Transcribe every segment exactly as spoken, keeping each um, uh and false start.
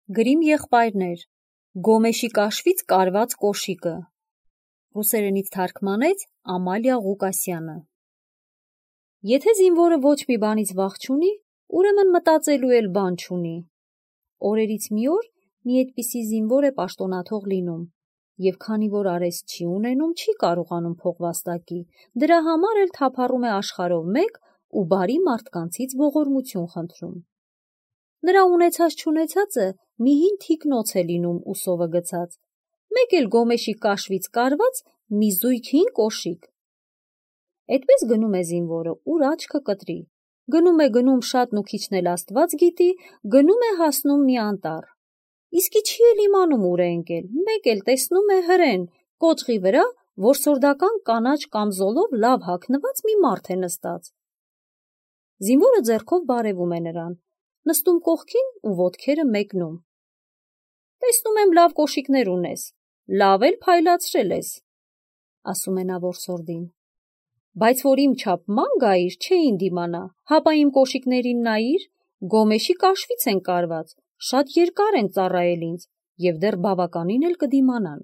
Գրիմ եղբայրներ, Գոմեշի կաշվից կարված կոշիկը, ռուսերենից թարգմանեց Ամալիա Ղուկասյանը։ Եթե զինվորը ոչ մի բանից վախ չունի, ուրեմն մտածելու էլ բան չունի։ Օրերից մի օր մի այդպիսի զինվոր է պաշտոնաթող լինում, և քանի որ արեստ չի ունենում, չի կարողանում փող վաստակի, դրա համար էլ թափառում է աշխարհով մեկ ու բարի մարդկանցից ողորմություն խնդրում։ Նրա ունեցած չունեցածը մի հին թիկնոց է լինում ուսովը գցած, մեկ էլ Գոմեշի կաշվից կարված մի զույգ հին կոշիկ։ Էդպես գնում է զինվորը, ուր աչքը կտրի, գնում է գնում շատն ու քիչն էլ Աստված գիտի, գնում է հասնում մի անտառ, իսկի չի էլ իմանում ուր է ընկել, մեկ էլ տեսնում է հրեն, կոճղի վրա որսորդական կանաչ կամզոլով լավ հագնված մի մարդ է նստած։ Զինվորը ձեռքով բարևում է նրան, նստում կողքին ու ոտքերը մեկնում։ Տեսնում եմ լավ կոշիկներ ունես, լավ էլ փայլացրել ես, ասում է նա որսորդին, բայց որ իմ չափ ման գայիր, չէին դիմանա, հապա իմ կոշիկներին նայիր, Գոմեշի կաշվից են կարված, շատ երկար են ծառայել ինձ և դեռ բավականին էլ կդիմանան։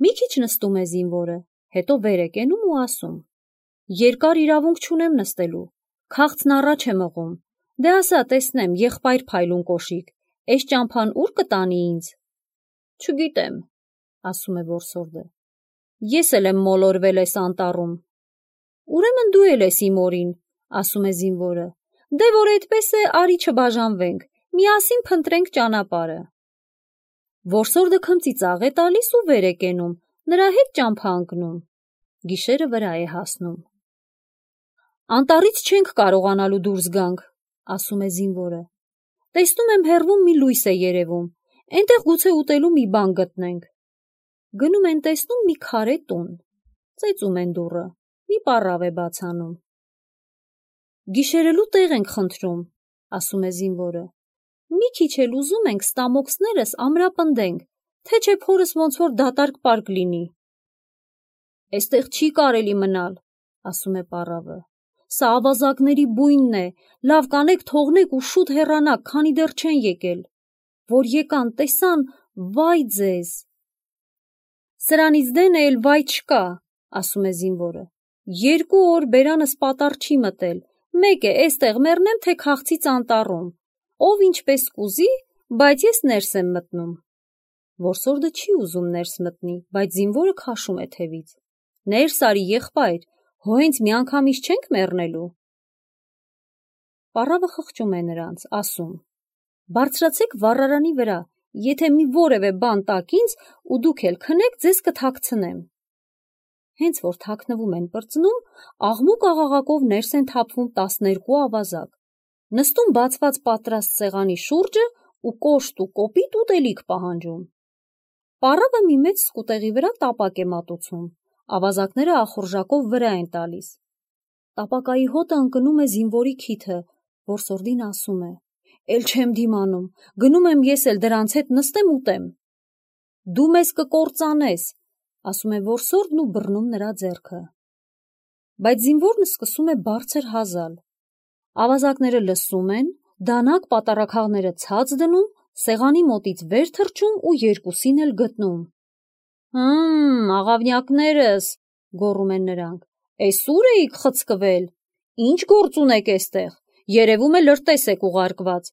Մի քիչ նստում է զինվորը, հետո վեր է կենում ու ասում. երկար իրավունք չունեմ նստելու, քաղցն առաջ է մղում, դե ասա տեսնեմ, եղբայր փայլուն կոշիկ, էս ճամփան ուր կտանի ինձ։ Չգիտեմ, ասում է որսորդը, ես էլ եմ մոլորվել էս անտառում։ Ուրեմն դու էլ ես իմ օրին, ասում է զինվորը, դե որ այդպես է, արի չբաժանվենք, միասին փնտրենք ճանապարհը։ Որսորդը քմծի ծաղ է տալիս ու վեր է կենում, նրա հետ ճամփա ընկնում, գիշերը վրա է հասնում։ Անտառից չենք կարողանալու դուրս գանք, ասում է զինվորը, տեսնում եմ հեռվում մի լույս է երևում, այնտեղ գուցե ուտելու մի բան գտնենք։ Գնում են տեսնում մի քարե տուն, ծեծում են դուռը, մի պառավ է բաց անում։ Գիշերելու տեղ ենք խնդրում, ասում է զինվորը, մի քիչ էլ ուզում ենք ստամոքսներս ամրապնդենք, թե չէ փորս ոնց որ դատարկ պարկ լինի։ Էստեղ չի կարելի մնալ, ասում է պառավը, սա ավազակների բույնն է, լավ կանեք թողնեք ու շուտ հեռանաք, քանի դեռ չեն եկել, որ եկան, տեսան, վայ ձեզ։ Սրանից դեն էլ վայ չկա, ասում է զինվորը, երկու օր բերանս պատառ չի մտել, մեկ է էստեղ մեռնեմ, թե քաղցից անտառում, ով ինչպես կուզի, բայց ես ներս եմ մտնում։ Որսորդը չի ուզում ներս մտնի, բայց զինվորը քաշում է թևից։ Ներս արի եղբայր, հո հենց միանգամից չենք մեռնելու։ Պառավը խղճում է նրանց, ասում. բարձրացեք վառարանի վրա, եթե մի որևէ բան տաք ինձ ու դուք էլ քնեք, ձեզ կթաքցնեմ։ Հենց որ թաքնվում են պրծնում, աղմուկ աղաղակով ներս են թափվում տասներկու ավազակ, նստում բացված պատրաստ սեղանի շուրջը ու կոշտ ու կոպիտ ուտելիք պահանջում։ Պառավը մի մեծ սկուտեղի վրա տապակ է մատուցում, ավազակները ախորժակով վրա են տալիս։ Տապակայի հոտը ընկնում է զինվորի քիթը, որսորդին ասում է. Էլ չեմ դիմանում, գնում եմ ես էլ դրանց հետ նստեմ ուտեմ։ Դու մեզ կկործանես, ասում է որսորդն ու բռնում նրա ձեռքը։ Բայց զինվորն սկսում է բարձր հազալ։ Ավազակները լսում են, դանակ պատառաքաղները ցած դնում, սեղանի մոտից վեր թռչում ու երկուսին էլ գտնում։ Հմ, աղավնյակներս, գոռում են նրանք, էս ուր էիք խցկվել, ինչ գործ ունեք էստեղ, երևում է լրտես եք ուղարկված,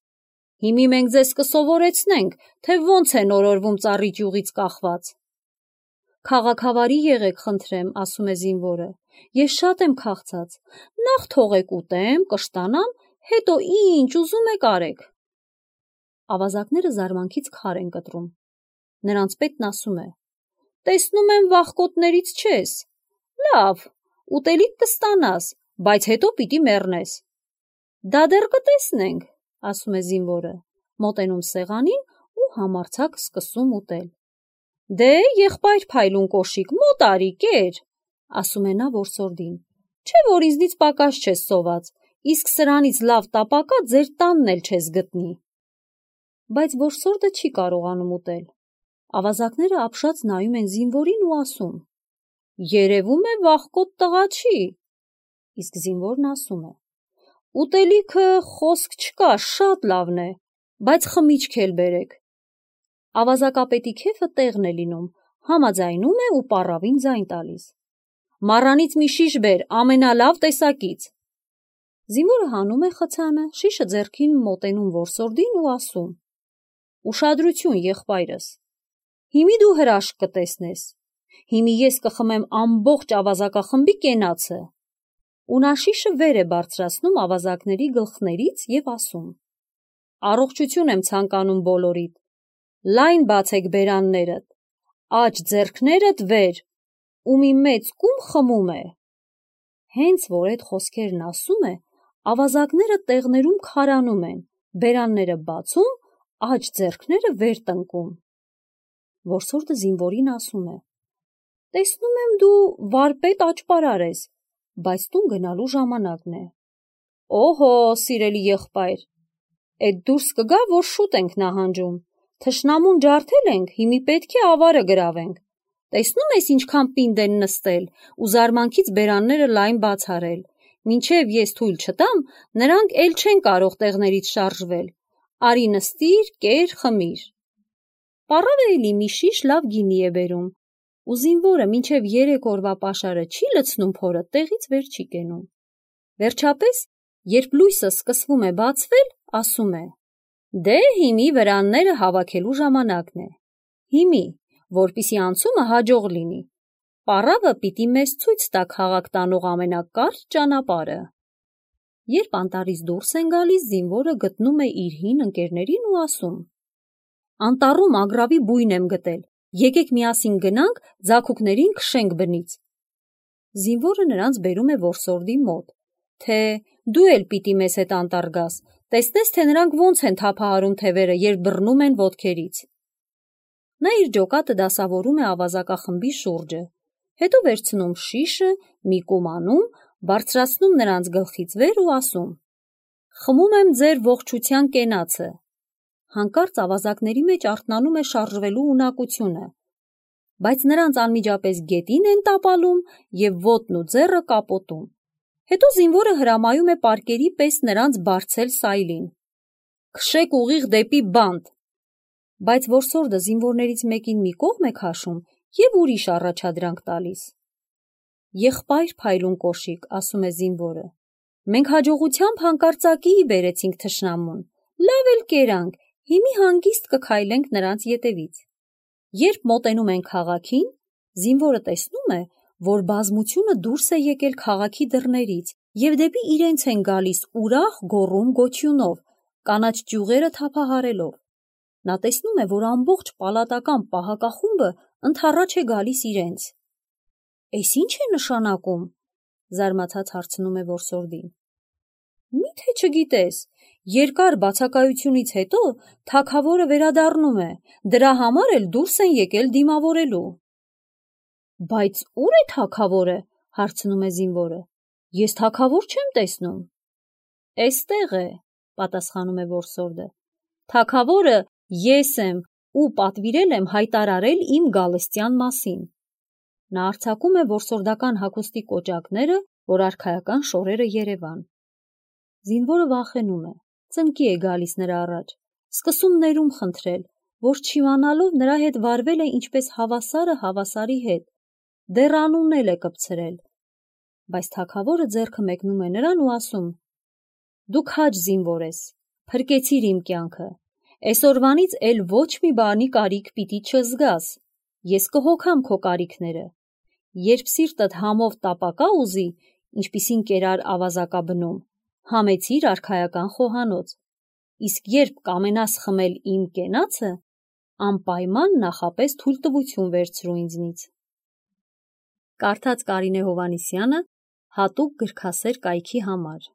հիմի մենք ձեզ կսովորեցնենք, թե ոնց են օրորվում ծառի ճյուղից կախված։ Քաղաքավարի եղեք, խնդրեմ, ասում է զինվորը, ես շատ եմ քաղցած, նախ թողեք ուտեմ, կշտանամ, հետո ինչ ուզում եք արեք։ Ավազակները զարմանքից քար են կտրում։ Նրանց պետն ասում է. տեսնում եմ վախկոտներից չես, լավ, ուտելիք կստանաս, բայց հետո պիտի մեռնես։ Դա դեռ կտեսնենք, ասում է զինվորը, մոտենում սեղանին ու համարձակ սկսում ուտել։ Դե եղբայր փայլուն կոշիկ, մոտ արի, կեր, ասում է նա որսորդին, չէ որ ինձնից պակաս չես սոված, իսկ սրանից լավ տապակա ձեր տանն էլ չես գտնի։ Բայց որսորդը չի կարողանում ուտել։ Ավազակները ապշած նայում են զինվորին ու ասում. երևում է վախկոտ տղա չի։ Իսկ զինվորն ասում է. ուտելիքը խոսք չկա, շատ լավն է, բայց խմիչք էլ բերեք։ Ավազակապետի քեֆը տեղն է լինում, համաձայնում է ու պառավին ձայն տալիս։ Մառանից մի շիշ բեր, ամենալավ տեսակից։ Զինվորը հանում է խցանը, շիշը ձեռքին մոտենում որսորդին ու ասում. Ուշադրություն, եղբայրս, հիմի դու հրաշք կտեսնես, հիմի ես կխմեմ ամբողջ ավազակախմբի կենացը։ Ու նա շիշը վեր է բարձրացնում ավազակների գլխներից և ասում. Առողջություն եմ ցանկանում բոլորիդ, լայն բացեք բերաններդ, աջ ձեռքներդ վեր, ու մի մեծ կում խմում է։ Հենց որ այդ խոսքերն ասում է, ավազակները տեղներում քարանում են, բերանները բացում, աջ ձեռքները վեր տնկում։ Որսորդը զինվորին ասում է. Տեսնում եմ դու վարպետ աճպարար ես, բայց տուն գնալու ժամանակն է։ Օհո, սիրելի եղբայր, էդ դուրս կգա, որ շուտ ենք նահանջում, թշնամուն ջարդել ենք, հիմի պետք է ավարը գրավենք։ Տեսնում ես ինչքան պինդ են նստել ու զարմանքից բերանները լայն բաց արել, մինչև ես թույլ չտամ, նրանք էլ չեն կարող տեղներից շարժվել, արի նստիր, կեր, խմիր։ Պառավը էլի մի շիշ լավ գինի է բերում, ու զինվորը մինչև երեք օրվա պաշարը չի լցնում փորը, տեղից վեր չի կենում։ Վերջապես, երբ լույսը սկսվում է բացվել, ասում է. Դե հիմի վրանները հավաքելու ժամանակն է։ Հիմի, որպիսի անցումը հաջող լինի, պառավը պիտի մեզ ցույց տա քաղաք տանող ամենակարճ ճանապարհը։ Երբ անտառից դուրս են գալիս, զինվորը գտնում է իր հին ընկերներին ու ասում. Անտառում ագռավի բույն եմ գտել, եկեք միասին գնանք, ձագուկներին քշենք բնից։ Զինվորը նրանց բերում է որսորդի մոտ, թե դու էլ պիտի մեզ հետ անտառ գաս, տեսնես, թե նրանք ոնց են թափահարում թևերը, երբ բռնում են ոտքերից։ Նա իր ջոկատը դասավորում է ավազակախմբի շուրջը, հետո վերցնում շիշը, մի կում անում, բարձրացնում նրանց գլխից վեր ու ասում. Խմում եմ ձեր ողջության կենացը։ Հանկարծ ավազակների մեջ արթնանում է շարժվելու ունակությունը, բայց նրանց անմիջապես գետին են տապալում և ոտն ու ձեռը կապոտում։ Հետո զինվորը հրամայում է պարկերի պես նրանց բարձել սայլին։ Քշեք ուղիղ դեպի բանտ։ Բայց որսորդը զինվորներից մեկին մի կողմ է քաշում և ուրիշ առաջադրանք տալիս։ Եղբայր փայլուն կոշիկ, ասում է զինվորը, մենք հաջողությամբ հանկարծակիի բերեցինք թշնամուն, լավ էլ կերանք, հիմի հանգիստ կքայլենք նրանց ետևից։ Երբ մոտենում են քաղաքին, զինվորը տեսնում է, որ բազմությունը դուրս է եկել քաղաքի դռներից և դեպի իրենց են գալիս ուրախ գոռում գոչյունով, կանաչ ճյուղերը թափահարելով։ Նա տեսնում է, որ ամբողջ պալատական պահակախումբը ընդառաջ է գալիս իրենց։ Էս ի՞նչ է նշանակում, զարմացած հարցնում է որսորդին։ Մի՞թե չգիտես, երկար բացակայությունից հետո թագավորը վերադառնում է, դրա համար էլ դուրս են եկել դիմավորելու։ Բայց ո՞ւր է թագավորը, հարցնում է զինվորը, ես թագավոր չեմ տեսնում։ Էստեղ է, պատասխանում է որսորդը, թագավորը ես եմ ու պատվիրել եմ հայտարարել իմ գալստյան մասին։ Նա արձակում է որսորդական հագուստի կոճակները, որ արքայական շորերը երևան։ Զինվորը վախենում է, ծնկի է գալիս նրա առաջ, սկսում ներում խնդրել, որ չիմանալով նրա հետ վարվել է ինչպես հավասարը հավասարի հետ, դեռ անուն էլ է կպցրել։ Բայց թագավորը ձեռքը մեկնում է նրան ու ասում. Դու քաջ զինվոր ես, փրկեցիր իմ կյանքը, այսօրվանից էլ ոչ մի բանի կարիք պիտի չզգաս, ես կհոգամ քո կարիքները, երբ սիրտդ համով տապակա ուզի, ինչպիսին կերար ավազակաբնում, համեցիր արքայական խոհանոց, իսկ երբ կամենաս խմել իմ կենացը, անպայման նախապես թույլտվություն վերցրու ինձնից։ Կարդաց Կարինե Հովհաննիսյանը հատուկ գրքասեր կայքի համար։